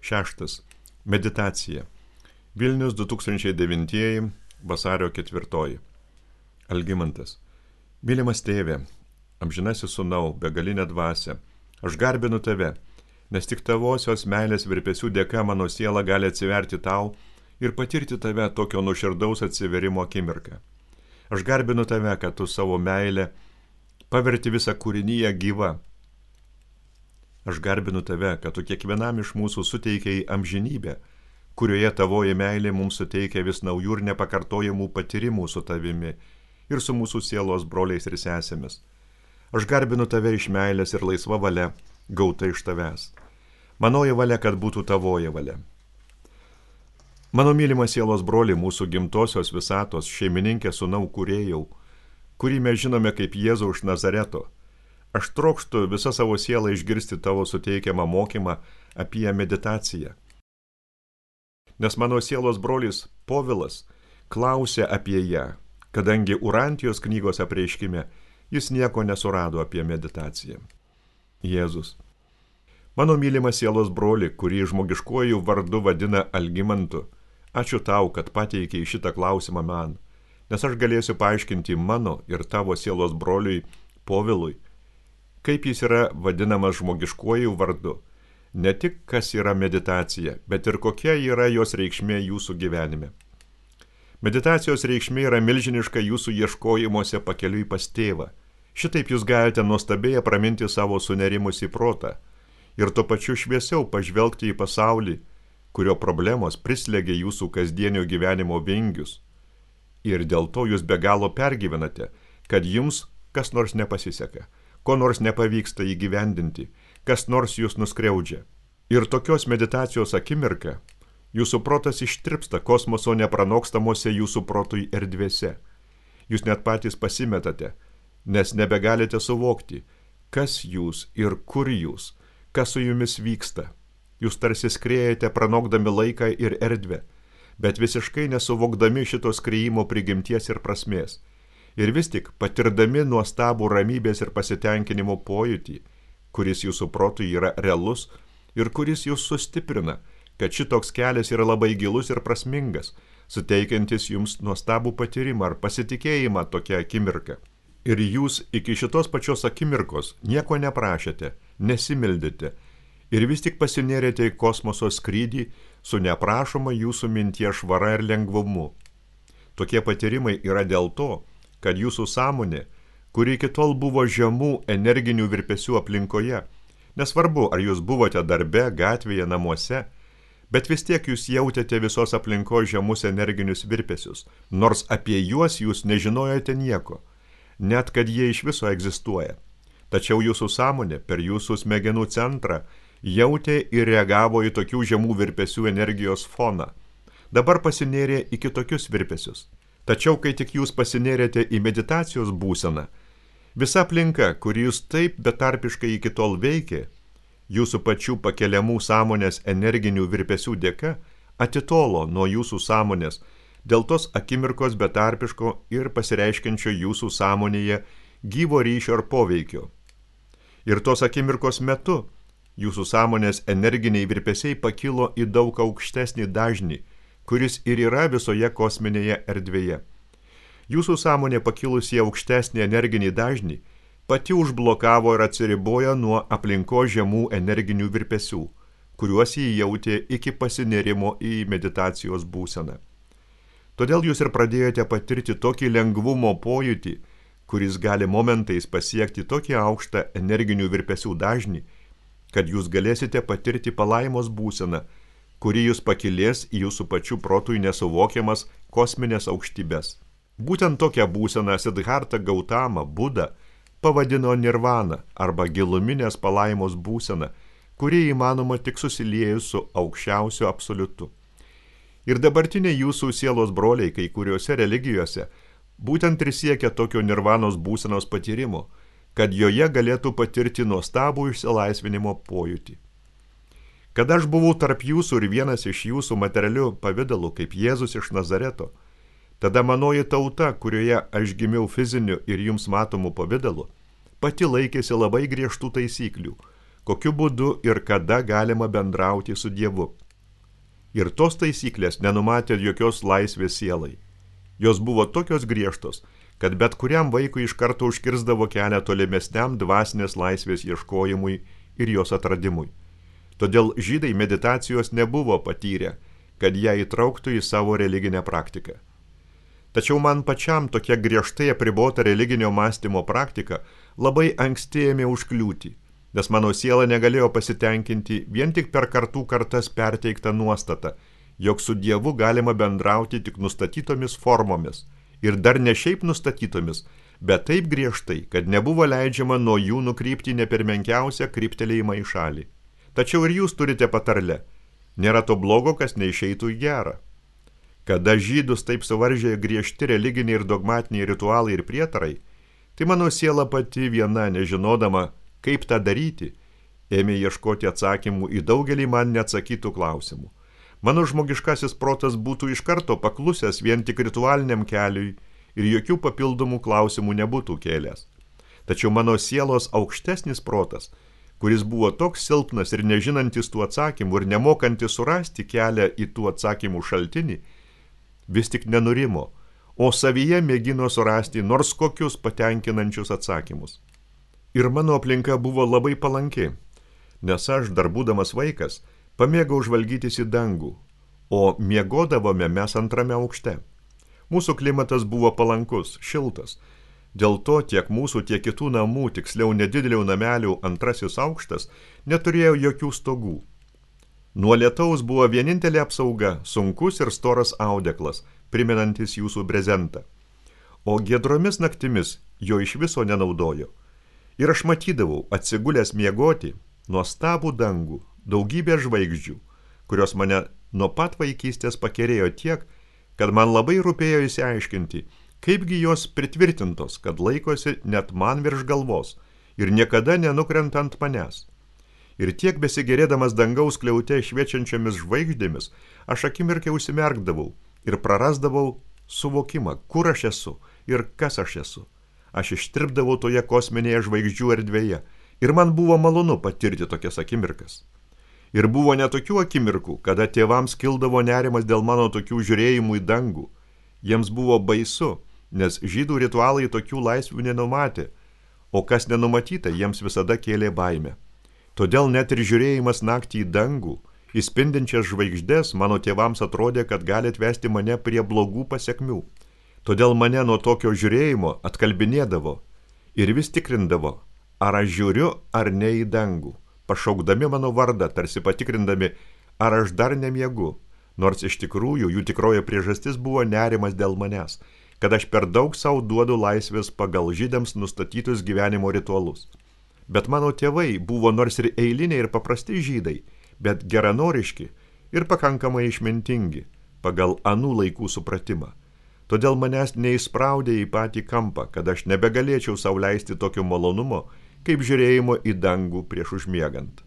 6. Meditacija. Vilnius 2009 vasario 4. Algimantas. Mylimas tėve, amžinasis sūnau, begalinė dvasia, aš garbinu tave, nes tik tavosios meilės virpesių dėka mano siela gali atsiverti tau ir patirti tave tokio nuoširdaus atsiverimo akimirką. Aš garbinu tave, kad tu savo meilę paverti visą kūrinyje gyvą. Aš garbinu tave, kad tu kiekvienam iš mūsų suteikiai amžinybę, kurioje tavoji meilė mums suteikia vis naujų ir nepakartojamų patyrimų su tavimi ir su mūsų sielos broliais ir sesėmis. Aš garbinu tave iš meilės ir laisva valia, gauta iš tavęs. Manoji valia, kad būtų tavoji valia. Mano mylimas sielos broli, mūsų gimtosios visatos, šeimininkė sūnau kūrėjau, kurį mes žinome kaip Jėzų iš Nazareto. Aš trokštu visą savo sielą išgirsti tavo suteikiamą mokymą apie meditaciją. Nes mano sielos brolis Povilas klausė apie ją, kadangi Urantijos knygos apreiškime jis nieko nesurado apie meditaciją. Jėzus. Mano mylimas sielos broli, kurį žmogiškuoju vardu vadina Algimantu, ačiū tau, kad pateikei šitą klausimą man, nes aš galėsiu paaiškinti mano ir tavo sielos broliui Povilui, kaip jis yra vadinamas žmogiškuoju vardu, ne tik kas yra meditacija, bet ir kokia yra jos reikšmė jūsų gyvenime. Meditacijos reikšmė yra milžiniška jūsų ieškojimuose pakeliui pas tėvą. Šitaip jūs galite nuostabiai apraminti savo sunerimusį protą ir tuo pačiu šviesiau pažvelgti į pasaulį, kurio problemos prislėgia jūsų kasdienio gyvenimo vingius. Ir dėl to jūs be galo pergyvenate, kad jums kas nors nepasiseka, ko nors nepavyksta įgyvendinti, kas nors jūs nuskriaudžia. Ir tokios meditacijos akimirka jūsų protas ištirpsta kosmoso nepranokstamuose jūsų protui erdvėse. Jūs net patys pasimetate, nes nebegalite suvokti, kas jūs ir kur jūs, kas su jumis vyksta. Jūs tarsi skriejate pranokdami laiką ir erdvę, bet visiškai nesuvokdami šito skriejimo prigimties ir prasmės. Ir vis tik patirdami nuostabų ramybės ir pasitenkinimo pojūtį, kuris jūsų protui yra realus ir kuris jūs sustiprina, kad šitoks kelias yra labai gilus ir prasmingas, suteikiantis jums nuostabų patyrimą ar pasitikėjimą tokią akimirką. Ir jūs iki šitos pačios akimirkos nieko neprašėte, nesimildėte ir vis tik pasinėrėte į kosmoso skrydį su neprašoma jūsų minties švara ir lengvumu. Tokie patyrimai yra dėl to, kad jūsų sąmonė, kuri iki tol buvo žemų energinių virpesių aplinkoje, nesvarbu, ar jūs buvote darbe, gatvėje, namuose, bet vis tiek jūs jautėte visos aplinkos žemus energinius virpesius, nors apie juos jūs nežinojote nieko, net kad jie iš viso egzistuoja. Tačiau jūsų sąmonė per jūsų smegenų centrą jautė ir reagavo į tokių žemų virpesių energijos foną. Dabar pasinėrė į kitokius virpesius. Tačiau, kai tik jūs pasinėrėte į meditacijos būseną, visa aplinka, kuri jūs taip betarpiškai iki tol veikė, jūsų pačių pakeliamų sąmonės energinių virpesių dėka atitolo nuo jūsų sąmonės dėl tos akimirkos betarpiško ir pasireiškiančio jūsų sąmonėje gyvo ryšio ar poveikio. Ir tos akimirkos metu jūsų sąmonės energiniai virpesiai pakilo į daug aukštesnį dažnį, kuris ir yra visoje kosminėje erdvėje. Jūsų sąmonė pakilusi į aukštesnį energinį dažnį pati užblokavo ir atsiribojo nuo aplinkos žemų energinių virpesių, kuriuos jį jautė iki pasinėrimo į meditacijos būseną. Todėl jūs ir pradėjote patirti tokį lengvumo pojūtį, kuris gali momentais pasiekti tokį aukštą energinių virpesių dažnį, kad jūs galėsite patirti palaimos būseną, kuri jūs pakilės į jūsų pačių protui nesuvokiamas kosminės aukštybės. Būtent tokią būseną Siddhartha Gautama Buda pavadino nirvana arba giluminės palaimos būsena, kuri įmanoma tik susiliejus su aukščiausiu absoliutu. Ir dabartiniai jūsų sielos broliai kai kuriuose religijose būtent ir siekia tokio nirvanos būsenos patyrimo, kad joje galėtų patirti nuostabų išsilaisvinimo pojūtį. Kada aš buvau tarp jūsų ir vienas iš jūsų materialių pavidalų kaip Jėzus iš Nazareto, tada manoji tauta, kurioje aš gimiau fiziniu ir jums matomu pavidalu, pati laikėsi labai griežtų taisyklių, kokiu būdu ir kada galima bendrauti su Dievu. Ir tos taisyklės nenumatė jokios laisvės sielai. Jos buvo tokios griežtos, kad bet kuriam vaikui iš karto užkirsdavo kelią tolimesniam dvasinės laisvės ieškojimui ir jos atradimui. Todėl žydai meditacijos nebuvo patyrę, kad ją įtrauktų į savo religinę praktiką. Tačiau man pačiam tokia griežtai apribota religinio mąstymo praktika labai anksti ėmė užkliūti, nes mano siela negalėjo pasitenkinti vien tik per kartų kartas perteiktą nuostatą, jog su Dievu galima bendrauti tik nustatytomis formomis ir dar ne šiaip nustatytomis, bet taip griežtai, kad nebuvo leidžiama nuo jų nukrypti ne per menkiausią kryptelėjimą į šalį. Tačiau ir jūs turite patarlę, nėra to blogo, kas neišeitų į gerą. Kada žydus taip suvaržė griežti religiniai ir dogmatiniai ritualai ir prietarai, tai mano siela pati viena, nežinodama, kaip tą daryti, ėmė ieškoti atsakymų į daugelį man neatsakytų klausimų. Mano žmogiškasis protas būtų iš karto paklusęs vien tik ritualiniam keliui ir jokių papildomų klausimų nebūtų kėlęs. Tačiau mano sielos aukštesnis protas, kuris buvo toks silpnas ir nežinantis tų atsakymų ir nemokantis surasti kelią į tų atsakymų šaltinį, vis tik nenurimo, o savyje mėgino surasti nors kokius patenkinančius atsakymus. Ir mano aplinka buvo labai palanki, nes aš, dar būdamas vaikas, pamėgau žvalgytis į dangų, o miegodavome mes antrame aukšte. Mūsų klimatas buvo palankus, šiltas. Dėl to tiek mūsų, tiek kitų namų, tiksliau nedidelių namelių antrasis aukštas, neturėjo jokių stogų. Nuo lietaus buvo vienintelė apsauga, sunkus ir storas audeklas, primenantis jūsų brezentą. O giedromis naktimis jo iš viso nenaudojo. Ir aš matydavau, atsigulęs miegoti, nuostabų dangų, daugybę žvaigždžių, kurios mane nuo pat vaikystės pakerėjo tiek, kad man labai rūpėjo išsiaiškinti, kaipgi jos pritvirtintos, kad laikosi net man virš galvos ir niekada nenukrenta ant manęs. Ir tiek besigerėdamas dangaus skliaute šviečiančiomis žvaigždėmis, aš akimirkai užsimerkdavau ir prarasdavau suvokimą, kur aš esu ir kas aš esu. Aš ištirpdavau toje kosminėje žvaigždžių erdvėje ir man buvo malonu patirti tokias akimirkas. Ir buvo netokių akimirkų, kada tėvams kildavo nerimas dėl mano tokių žiūrėjimų į dangų. Jiems buvo baisu, nes žydų ritualai tokių laisvių nenumatė, o kas nenumatyta, jiems visada kėlė baimę. Todėl net ir žiūrėjimas naktį į dangų, įspindinčias žvaigždės, mano tėvams atrodė, kad gali atvesti mane prie blogų pasekmių. Todėl mane nuo tokio žiūrėjimo atkalbinėdavo ir vis tikrindavo, ar aš žiūriu ar ne į dangų, pašaukdami mano vardą, tarsi patikrindami, ar aš dar nemiegu, nors iš tikrųjų jų tikroji priežastis buvo nerimas dėl manęs, kad aš per daug savo duodu laisvės pagal žydams nustatytus gyvenimo ritualus. Bet mano tėvai buvo nors ir eiliniai ir paprasti žydai, bet geranoriški ir pakankamai išmintingi pagal anų laikų supratimą. Todėl manęs neįspraudė į patį kampą, kad aš nebegalėčiau sau leisti tokio malonumo, kaip žiūrėjimo į dangų prieš užmiegant.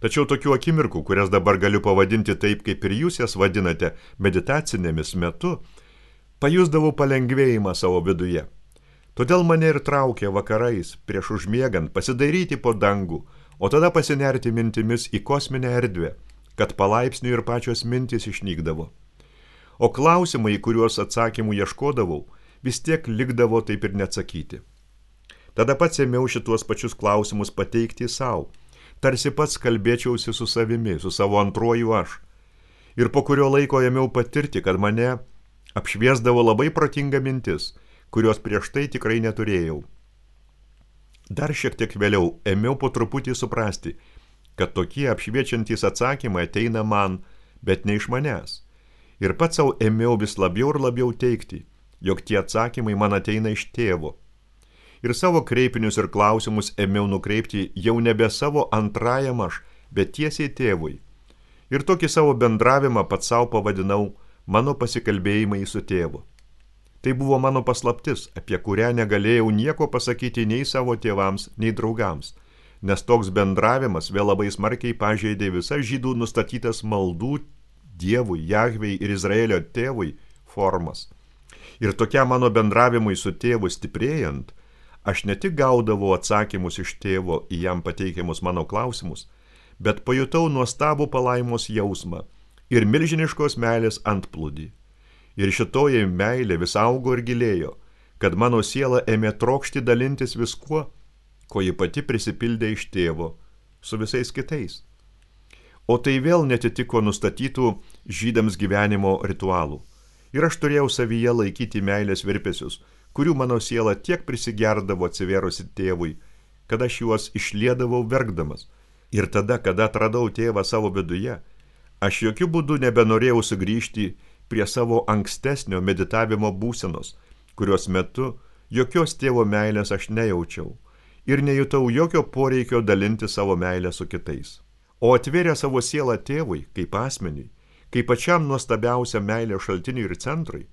Tačiau tokių akimirkų, kurias dabar galiu pavadinti taip, kaip ir jūs jas vadinate, meditacinėmis metu, pajusdavau palengvėjimą savo viduje. Todėl mane ir traukė vakarais, prieš užmiegant, pasidairyti po dangų, o tada pasinerti mintimis į kosminę erdvę, kad palaipsniui ir pačios mintys išnykdavo. O klausimai, kuriuos atsakymų ieškodavau, vis tiek likdavo taip ir neatsakyti. Tada pats ėmiau šituos pačius klausimus pateikti savo, tarsi pats kalbėčiausi su savimi, su savo antruoju aš. Ir po kurio laiko ėmiau patirti, kad mane apšviesdavo labai protinga mintis, kurios prieš tai tikrai neturėjau. Dar šiek tiek vėliau ėmiau po truputį suprasti, kad tokie apšviečiantys atsakymai ateina man, bet ne iš manęs. Ir pats savo ėmiau vis labiau ir labiau teigti, jog tie atsakymai man ateina iš tėvo. Ir savo kreipinius ir klausimus ėmiau nukreipti jau nebe savo antrajam aš, bet tiesiai tėvui. Ir tokį savo bendravimą pats savo pavadinau mano pasikalbėjimai su tėvu. Tai buvo mano paslaptis, apie kurią negalėjau nieko pasakyti nei savo tėvams, nei draugams, nes toks bendravimas vėl labai smarkiai pažeidė visas žydų nustatytas maldų Dievui, Jahvei ir Izraelio tėvui formas. Ir tokiam mano bendravimui su tėvu stiprėjant, aš ne tik gaudavau atsakymus iš tėvo į jam pateikiamus mano klausimus, bet pajutau nuostabų palaimos jausmą ir milžiniškos meilės antplūdį. Ir šitoji meilė vis augo ir gilėjo, kad mano siela ėmė trokšti dalintis viskuo, ko ji pati prisipildė iš tėvo, su visais kitais. O tai vėl netitiko nustatytų žydams gyvenimo ritualų. Ir aš turėjau savyje laikyti meilės virpesius, kurių mano siela tiek prisigerdavo atsivėrusi tėvui, kad aš juos išliedavau verkdamas. Ir tada, kada atradau tėvą savo viduje, aš jokių būdų nebenorėjau sugrįžti prie savo ankstesnio meditavimo būsenos, kurios metu jokios tėvo meilės aš nejaučiau ir nejutau jokio poreikio dalinti savo meilę su kitais. O atvėrė savo sielą tėvui kaip asmeniui, kaip pačiam nuostabiausiam meilės šaltiniui ir centrui,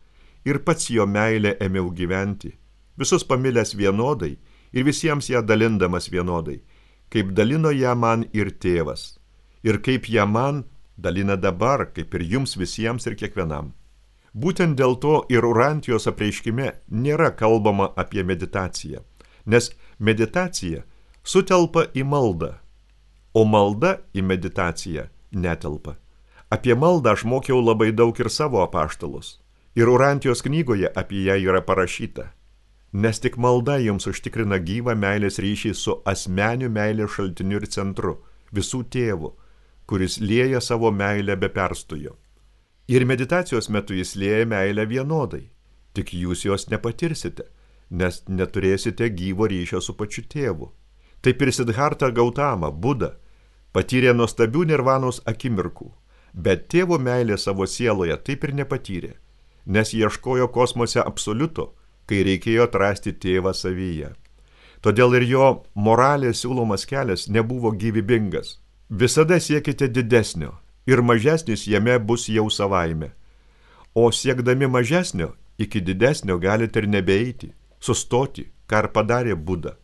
ir pats jo meilę ėmiau gyventi, visus pamilęs vienodai ir visiems ją dalindamas vienodai, kaip dalino ją man ir tėvas, ir kaip ją man dalina dabar, kaip ir jums visiems ir kiekvienam. Būtent dėl to ir Urantijos apreiškime nėra kalbama apie meditaciją, nes meditacija sutelpa į maldą, o malda į meditaciją netelpa. Apie maldą aš mokiau labai daug ir savo apaštalus, ir Urantijos knygoje apie ją yra parašyta, nes tik malda jums užtikrina gyvą meilės ryšį su asmeniu meilės šaltiniu ir centru, visų tėvų, kuris lieja savo meilę be perstojo. Ir meditacijos metu jis lieja meilę vienodai, tik jūs jos nepatirsite, nes neturėsite gyvo ryšio su pačiu tėvu. Taip ir Siddhartha Gautama, Buda, patyrė nuostabių nirvanos akimirkų, bet tėvo meilė savo sieloje taip ir nepatyrė, nes ieškojo kosmose absoliuto, kai reikėjo atrasti tėvą savyje. Todėl ir jo moralės siūlomas kelias nebuvo gyvybingas. Visada siekite didesnio ir mažesnis jame bus jau savaime. O siekdami mažesnio, iki didesnio galite ir nebeeiti, sustoti, ką ir padarė Buda.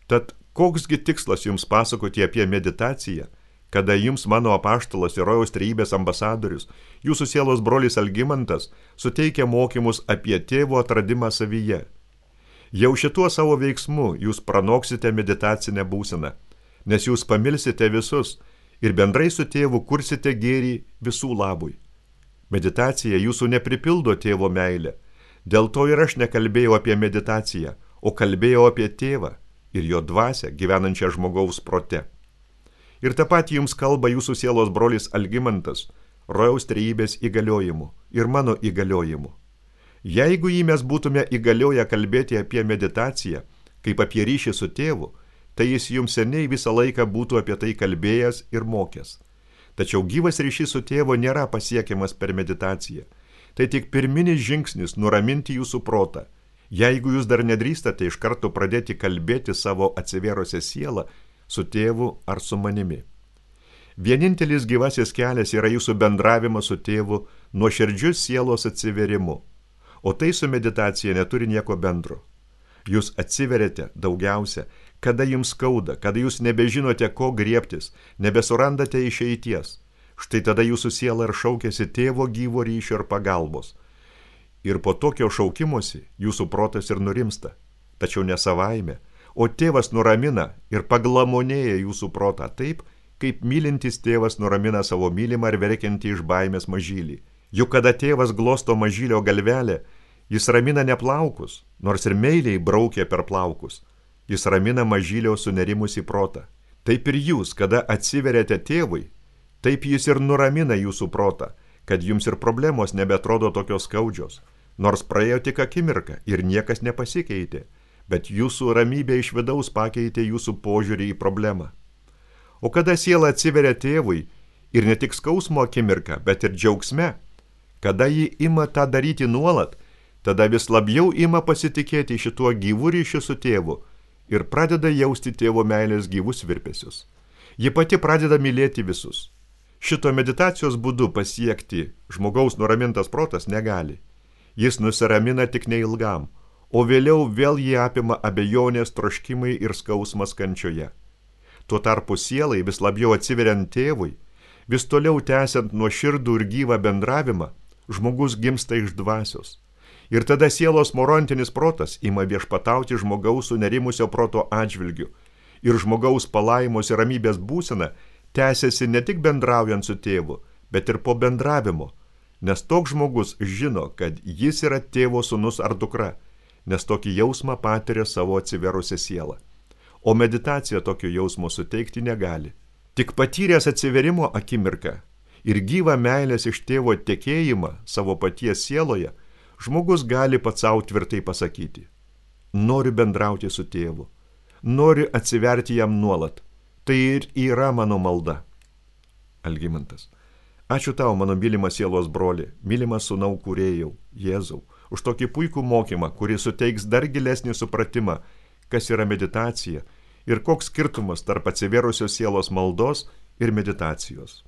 Tad koksgi tikslas jums pasakoti apie meditaciją, kada jums mano apaštalas ir rojaus trejybės ambasadorius, jūsų sielos brolis Algimantas, suteikia mokymus apie tėvo atradimą savyje. Jau šituo savo veiksmu jūs pranoksite meditacinę būseną, nes jūs pamilsite visus ir bendrai su tėvu kursite gėrį visų labui. Meditacija jūsų nepripildo tėvo meilę, dėl to ir aš nekalbėjau apie meditaciją, o kalbėjau apie tėvą ir jo dvasią gyvenančią žmogaus prote. Ir tą patį jums kalba jūsų sielos brolis Algimantas, rojaus trejybės įgaliojimu ir mano įgaliojimu. Jeigu jį mes būtume įgalioję kalbėti apie meditaciją, kaip apie ryšį su tėvu, tai jis jums seniai visą laiką būtų apie tai kalbėjęs ir mokęs. Tačiau gyvas ryšys su tėvu nėra pasiekiamas per meditaciją. Tai tik pirminis žingsnis nuraminti jūsų protą. Jeigu jūs dar nedrįstate iš karto pradėti kalbėti savo atsivėrusią sielą su tėvu ar su manimi. Vienintelis gyvasis kelias yra jūsų bendravimas su tėvu nuoširdžiu sielos atsivėrimu, o tai su meditacija neturi nieko bendro. Jūs atsiveriate daugiausia, kada jums skauda, kada jūs nebežinote, ko griebtis, nebesurandate išeities. Štai tada jūsų siela ir šaukėsi tėvo gyvo ryšio ir pagalbos. Ir po tokio šaukimosi jūsų protas ir nurimsta, tačiau ne savaime, o tėvas nuramina ir paglamonėja jūsų protą taip, kaip mylintis tėvas nuramina savo mylimą ir verkiantį iš baimės mažylį. Juk kada tėvas glosto mažylio galvelę, jis ramina ne plaukus, nors ir meiliai braukia per plaukus. Jis ramina mažylio sunerimusį protą. Taip ir jūs, kada atsiveriate tėvui, taip jis ir nuramina jūsų protą, kad jums ir problemos nebeatrodo tokios skaudžios, nors praėjo tik akimirką ir niekas nepasikeitė, bet jūsų ramybė iš vidaus pakeitė jūsų požiūrį į problemą. O kada siela atsiveria tėvui, ir ne tik skausmo akimirką, bet ir džiaugsme, kada ji ima tą daryti nuolat, tada vis labiau ima pasitikėti šituo gyvu ryšiu su tėvu ir pradeda jausti tėvo meilės gyvus virpesius. Ji pati pradeda mylėti visus. Šito meditacijos būdu pasiekti žmogaus nuramintas protas negali. Jis nusiramina tik neilgam, o vėliau vėl jį apima abejonės, troškimai ir skausmas kančioje. Tuo tarpu sielai vis labiau atsiveriant tėvui, vis toliau tęsiant nuoširdų ir gyvą bendravimą, žmogus gimsta iš dvasios. Ir tada sielos morontinis protas ima viešpatauti žmogaus sunerimusio proto atžvilgiu. Ir žmogaus palaimos ir ramybės būsena tęsiasi ne tik bendraujant su tėvu, bet ir po bendravimo. Nes toks žmogus žino, kad jis yra tėvo sūnus ar dukra, nes tokį jausmą patiria savo atsiverusią sielą. O meditacija tokio jausmo suteikti negali. Tik patyręs atsiverimo akimirką ir gyvą meilės iš tėvo tekėjimą savo paties sieloje, žmogus gali pats savo tvirtai pasakyti: noriu bendrauti su tėvu, noriu atsiverti jam nuolat. Tai ir yra mano malda. Algimantas. Ačiū tau, mano mylimas sielos broli, mylimas sūnau kūrėjau, Jėzau, už tokį puikų mokymą, kuris suteiks dar gilesnį supratimą, kas yra meditacija ir koks skirtumas tarp atsiverusios sielos maldos ir meditacijos.